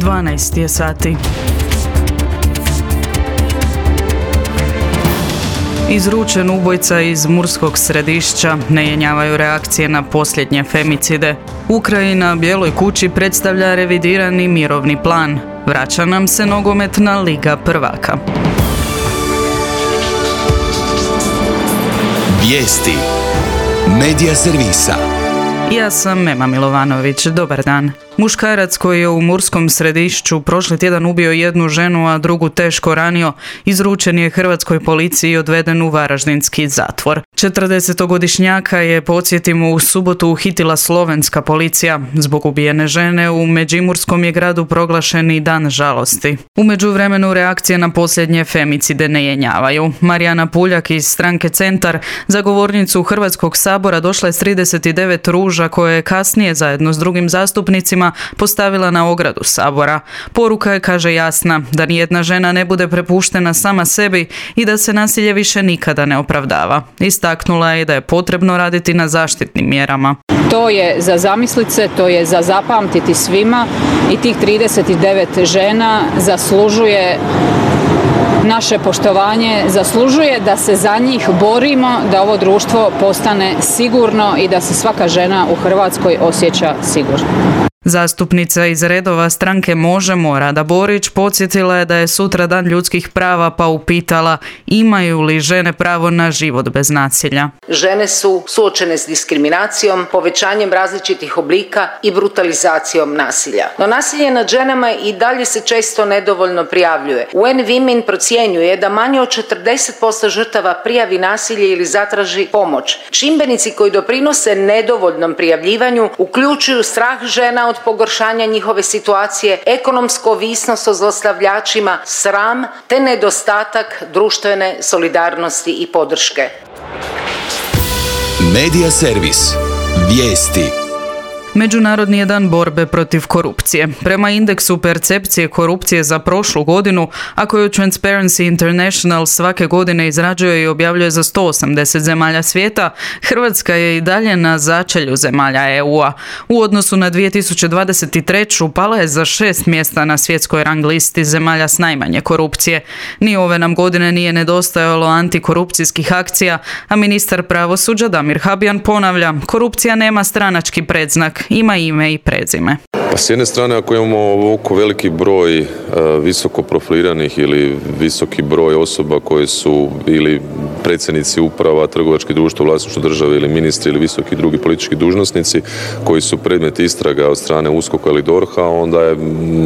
12 je sati. Izručen ubojica iz Murskog Središća, ne jenjavaju reakcije na posljednje femicide. Ukrajina Bijeloj kući predstavlja revidirani mirovni plan. Vraća nam se nogometna Liga prvaka. Vijesti Medija servisa. Ja sam Mema Milovanović, dobar dan. Muškarac koji je u Murskom Središću prošli tjedan ubio jednu ženu, a drugu teško ranio, izručen je hrvatskoj policiji i odveden u varaždinski zatvor. 40-godišnjaka je, podsjetimo, u subotu uhitila slovenska policija. Zbog ubijene žene u Međimurskom je gradu proglašen i dan žalosti. U međuvremenu reakcije na posljednje femicide ne jenjavaju. Marijana Puljak iz stranke Centar, za govornicu Hrvatskog sabora, došla je s 39 ruža koje je kasnije zajedno s drugim zastupnicima postavila na ogradu Sabora. Poruka je, kaže, jasna, da nijedna žena ne bude prepuštena sama sebi i da se nasilje više nikada ne opravdava. Istaknula je da je potrebno raditi na zaštitnim mjerama. To je za zamislit se, to je za zapamtiti svima i tih 39 žena zaslužuje naše poštovanje, zaslužuje da se za njih borimo, da ovo društvo postane sigurno i da se svaka žena u Hrvatskoj osjeća sigurno. Zastupnica iz redova stranke Možemo, Rada Borić, podsjetila je da je sutra dan ljudskih prava, pa upitala imaju li žene pravo na život bez nasilja. Žene su suočene s diskriminacijom, povećanjem različitih oblika i brutalizacijom nasilja. No nasilje nad ženama i dalje se često nedovoljno prijavljuje. UN Women procjenjuje da manje od 40% žrtava prijavi nasilje ili zatraži pomoć. Čimbenici koji doprinose nedovoljnom prijavljivanju uključuju strah žena od pogoršanja njihove situacije, ekonomsku ovisnost o zlostavljačima, sram te nedostatak društvene solidarnosti i podrške. Medija servis. Vijesti. Međunarodni je dan borbe protiv korupcije. Prema indeksu percepcije korupcije za prošlu godinu, a koju Transparency International svake godine izrađuje i objavljuje za 180 zemalja svijeta, Hrvatska je i dalje na začelju zemalja EU-a. U odnosu na 2023. pala je za 6 mjesta na svjetskoj rang listi zemalja s najmanje korupcije. Ni ove nam godine nije nedostajalo antikorupcijskih akcija, a ministar pravosuđa Damir Habijan ponavlja, korupcija nema stranački predznak, ima ime i prezime. S jedne strane, ako imamo ovako veliki broj visoko profiliranih ili visoki broj osoba koje su ili predsjednici uprava, trgovačkih društva u vlasništvu države ili ministri ili visoki drugi politički dužnosnici koji su predmet istraga od strane USKOK-a ili DORH-a, onda je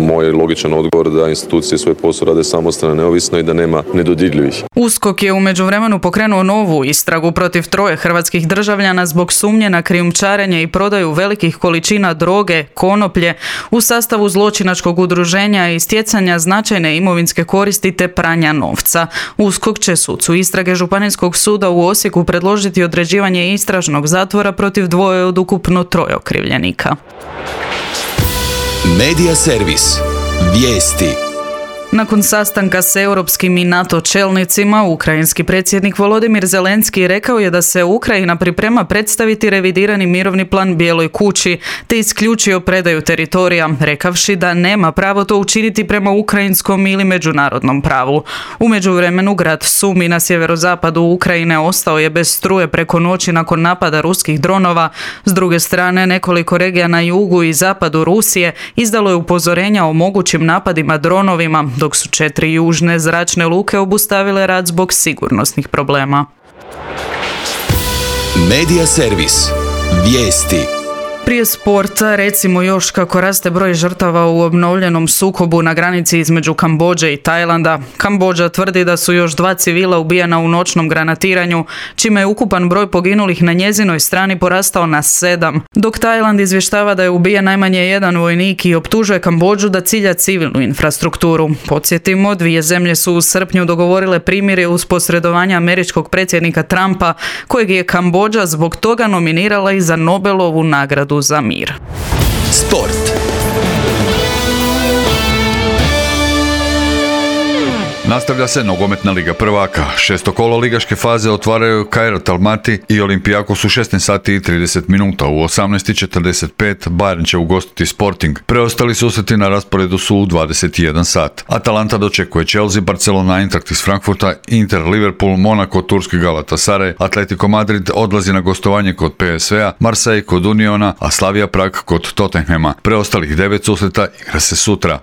moj logičan odgovor da institucije svoj posao rade samostalno, neovisno i da nema nedodirljivih. USKOK je u međuvremenu pokrenuo novu istragu protiv 3 hrvatskih državljana zbog sumnje na krijumčarenje i prodaju velikih količina droge, konoplje, u sastavu zločinačkog udruženja i stjecanja značajne imovinske koristi te pranja novca. USKOK će sucu istrage Županijskog suda u Osijeku predložiti određivanje istražnog zatvora protiv 2 od ukupno 3 okrivljenika. Medija servis. Vijesti. Nakon sastanka s europskim i NATO čelnicima, ukrajinski predsjednik Volodimir Zelenski rekao je da se Ukrajina priprema predstaviti revidirani mirovni plan Bijeloj kući, te isključio predaju teritorija, rekavši da nema pravo to učiniti prema ukrajinskom ili međunarodnom pravu. U međuvremenu grad Sumi na sjeverozapadu Ukrajine ostao je bez struje preko noći nakon napada ruskih dronova. S druge strane, nekoliko regija na jugu i zapadu Rusije izdalo je upozorenja o mogućim napadima dronovima, dok su 4 južne zračne luke obustavile rad zbog sigurnosnih problema. Medija servis. Vijesti. Prije sporta recimo još kako raste broj žrtava u obnovljenom sukobu na granici između Kambodže i Tajlanda. Kambodža tvrdi da su još 2 civila ubijena u noćnom granatiranju, čime je ukupan broj poginulih na njezinoj strani porastao na 7, dok Tajland izvještava da je ubijen najmanje 1 vojnik i optužuje Kambodžu da cilja civilnu infrastrukturu. Podsjetimo, 2 zemlje su u srpnju dogovorile primirje uz posredovanje američkog predsjednika Trumpa, kojeg je Kambodža zbog toga nominirala i za Nobelovu nagradu za mir. Sport. Nastavlja se nogometna Liga prvaka. 6. kolo ligaške faze otvaraju Kairat Almaty i Olympiakos u 16 sati i 30 minuta. U 18:45 Bayern će ugostiti Sporting. Preostali susreti na rasporedu su u 21 sat. Atalanta dočekuje Chelsea, Barcelona Eintracht iz Frankfurta, Inter Liverpool, Monaco turski Galatasaray, Atletico Madrid odlazi na gostovanje kod PSV-a, Marseille kod Uniona, a Slavia Prag kod Tottenhama. Preostalih 9 susreta igra se sutra.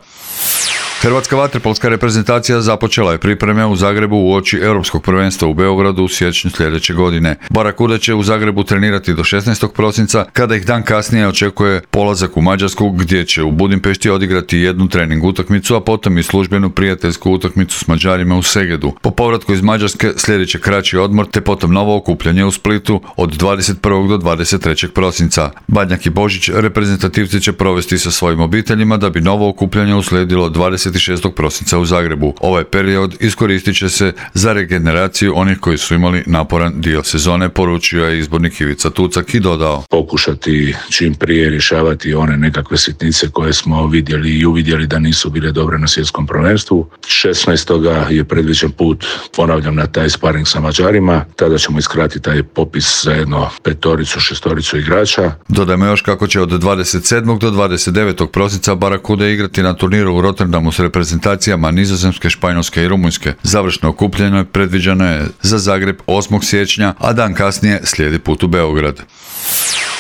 Hrvatska vaterpolska reprezentacija započela je pripreme u Zagrebu uoči Europskog prvenstva u Beogradu u siječnju sljedeće godine. Barakuda će u Zagrebu trenirati do 16. prosinca, kada ih dan kasnije očekuje polazak u Mađarsku, gdje će u Budimpešti odigrati jednu trening utakmicu, a potom i službenu prijateljsku utakmicu s Mađarima u Segedu. Po povratku iz Mađarske slijedit će kraći odmor, te potom novo okupljanje u Splitu od 21. do 23. prosinca. Badnjak i Božić reprezentativci će provesti sa svojim obiteljima, da bi novo okupljanje uslijedilo 26. prosinca u Zagrebu. Ovaj period iskoristit će se za regeneraciju onih koji su imali naporan dio sezone, poručio je izbornik Ivica Tucak i dodao: pokušati čim prije rješavati one nekakve sitnice koje smo vidjeli i uvidjeli da nisu bile dobre na svjetskom prvenstvu. 16. je predviđen put, ponavljam, na taj sparing sa Mađarima. Tada ćemo iskratiti taj popis za jedno 5-6 igrača. Dodajmo još kako će od 27. do 29. prosinca Barakuda igrati na turniru u Rotterdamu s reprezentacijama Nizozemske, Španjolske i Rumunjske. Završno okupljanje predviđeno je za Zagreb 8. siječnja, a dan kasnije slijedi put u Beograd.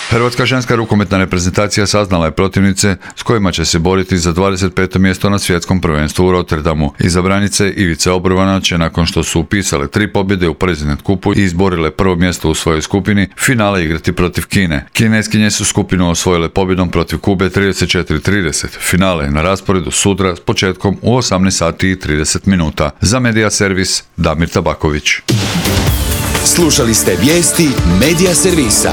Hrvatska ženska rukometna reprezentacija saznala je protivnice s kojima će se boriti za 25. mjesto na svjetskom prvenstvu u Rotterdamu. Izabranice Ivice Obrovana će, nakon što su upisale 3 pobjede u President Kupu i izborile prvo mjesto u svojoj skupini, finale igrati protiv Kine. Kineskinje su skupinu osvojile pobjedom protiv Kube 34-30. Finale je na rasporedu sutra s početkom u 18 sati i 30 minuta. Za Medija Servis, Damir Tabaković. Slušali ste vijesti Medija Servisa.